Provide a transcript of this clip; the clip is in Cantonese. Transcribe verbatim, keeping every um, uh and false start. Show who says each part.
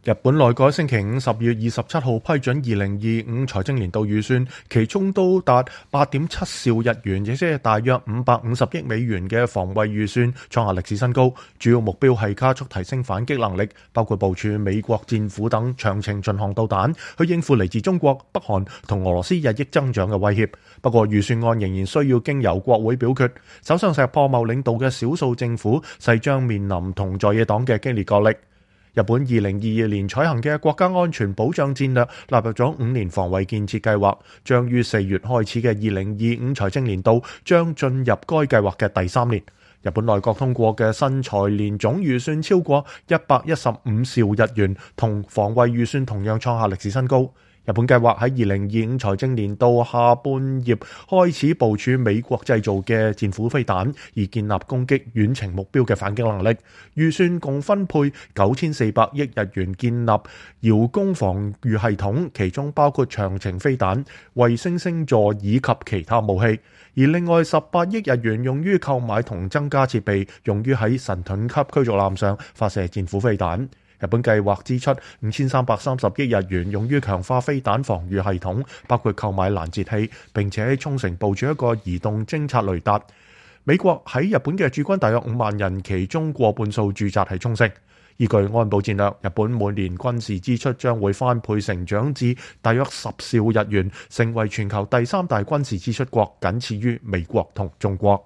Speaker 1: 日本內閣星期五十月二十七號批准二零二五財政年度預算，其中高達八點七兆日元，亦即係大約五百五十億美元嘅防衛預算創下歷史新高。主要目標係加速提升反擊能力，包括部署美國戰斧等長程巡航導彈，去應付嚟自中國、北韓同俄羅斯日益增長嘅威脅。不過預算案仍然需要經由國會表決。首相石破茂領導嘅少數政府勢將面臨同在野黨嘅激烈角力。日本二零二二年採行嘅國家安全保障戰略納入咗五年防衛建設計劃，將於四月開始嘅二零二五財政年度將進入該計劃嘅第三年。日本內閣通過嘅新財年總預算超過一百一十五兆日元，同防衛預算同樣創下歷史新高。日本計劃喺二零二五財政年度下半葉開始部署美國製造嘅戰斧飛彈，以建立攻擊遠程目標嘅反擊能力。預算共分配九千四百億日元建立遙攻防禦系統，其中包括長程飛彈、衛星星座以及其他武器。而另外十八億日元用於購買同增加設備，用於喺神盾級驅逐艦上發射戰斧飛彈。日本計劃支出五千三百三十億日元用於強化飛彈防禦系統，包括購買攔截器，並且喺沖繩部署一個移動偵察雷達。美國喺日本嘅駐軍大約五萬人，其中過半數駐紮喺沖繩。依據安保戰略，日本每年軍事支出將會翻倍成長至大約十兆日元，成為全球第三大軍事支出國，僅次於美國同中國。